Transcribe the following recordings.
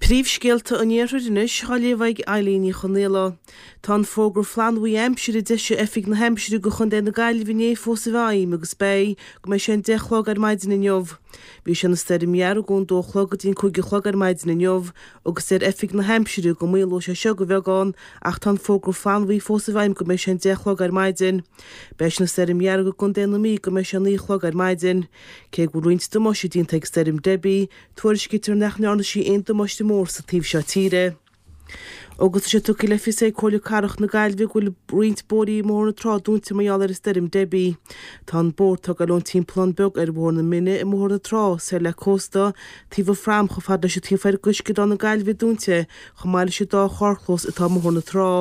Príomhscéalta an Iarthair anois á léamh ag Eilín Ní Chonaola. Tá an fógra flannbhuí aimsire a d'eisigh Oifig na hAimsire do Chontae na Gaillimhe inné fós i bhfeidhm agus beidh go mbeidh sé an 10 a chlog ar maidin inniu. Bhí sé ina stoirm dhearg ón 2 a chlog go dtí an 5 a chlog ar maidin inniu agus deir Oifig na hAimsire go maolóidh sé seo de bheagán ach tá an fógra flannbhuí fós i bhfeidhm go mbeidh sé an 10 a chlog ar maidin. Beidh sé ina stoirm dhearg i gContae na Mí go mbeidh sé 9 a chlog ar maidin. Cé go bhfuil roinnt damáiste déanta ag stoirm Debbie, Tuairiscítear nach ndearna sí aon damáiste mór sa taobh seo tíre. Agus tá sé tugtha le fios ag Comhairle Cathrach na Gaillimhe go bhfuil roinnt bóithrí i mBóthar na Trá dúnta mar gheall ar an stoirm Debbie. Tá an bóthar atá ag dul ón Timpeallán Beag ar Bhóthar na Mine i mBóthar na Trá, soir le cósta, taobh an phrám chomh fada leis an taobh thoir d'uisceadán na Gaillimhe dúnta, chomh maith leis an dá charrchlós atá i mBóthar na Trá.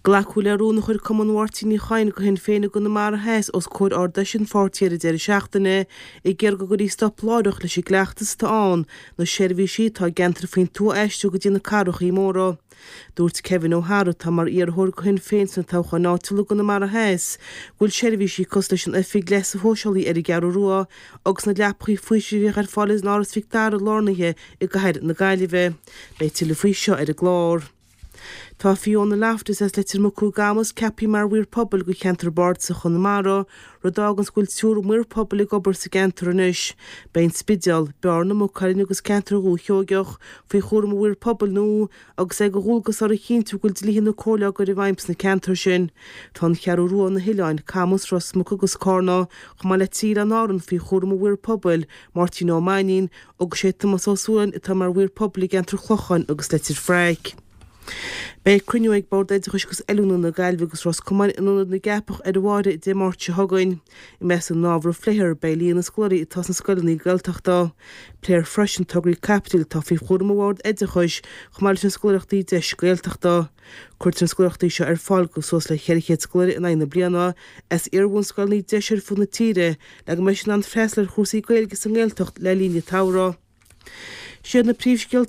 Glacadh le rún a chuir Cumann Mháirtín Uí Chadhain do Shinn Féin i gConamara Theas os comhair Ard-Fheis an pháirtí ar an deireadh seachtaine ag iarraidh go gcuirfí stop láithreach leis an gcleachtas atá ann na seirbhísí atá i gceantair faoin tuath a aistriú go dtí na cathrachaí móra. Dúirt Kevin O'Hara, atá mar iarrthóir do Shinn Féin sna toghcháin áitiúla i gConamara Theas, go bhfuil seirbhísí cosúil leis an oifig leigheasa shóisialaigh ar an gCeathrú Rua agus na leapachaí faoisimh a bhíodh ar fáil in Áras Mhic Dara lárnaithe i gcathair na Gaillimhe. Beidh tuilleadh faoi seo ar an gclár. Tá Fiona Loftus as Leitir Mucú i gCamus ceaptha mar Mhaor Pobail do cheantar Bardasach Chonamara, rud a fháganns go bhfuil triúr maor pobail ag obair sa gceantar anois. Beidh an Spidéal, Bearna, Maigh Cuilinn agus ceantar Dhúiche Sheoigeach faoi chúram an mhaoir pobail nua agus é de dhualgas orthu a chinntiú go bhfuil dlíthe na Comhairle á gcur i bhfeidhm sna ceantair sin. Tá an Cheathrú Rua, na hOileáin, Camus, Ros Muc agus Cárna, chomh maith le trí Oileán Árann faoi chúram an mhaoir pobail, Máirtín Ó Mainnín, Agus sé Tomás Ó Súilleabháin atá mar mhaor pobail i gceantar Chlocháin agus Leitir Fraic. Beidh cruinniú ag Bord Oideachais agus Oiliúna na Gaillimhe agus Ros Comáin in Ionad na gCeapach ar an bhFáirche Dé Máirt seo chugainn. I measc na n-ábhar a phléifear beidh líon na scoláirí atá sna scoileanna Gaeltachta. Pléifear freisin tograí caipitil atá faoi chúram an Bhoird Oideachais chomh maith leis na scoláireachtaí Deis Gaeltachta. Cuirtear na scoláireachtaí seo ar fáil do suas le 400 scoláire in aghaidh na bliana as iar-bhunscoileanna Deis ar fud na tíre le go mbeidh siad in ann freastal ar chúrsaí Gaeilge sa nGaeltacht le linn an tsamhraidh. Siad na príomhscéalta.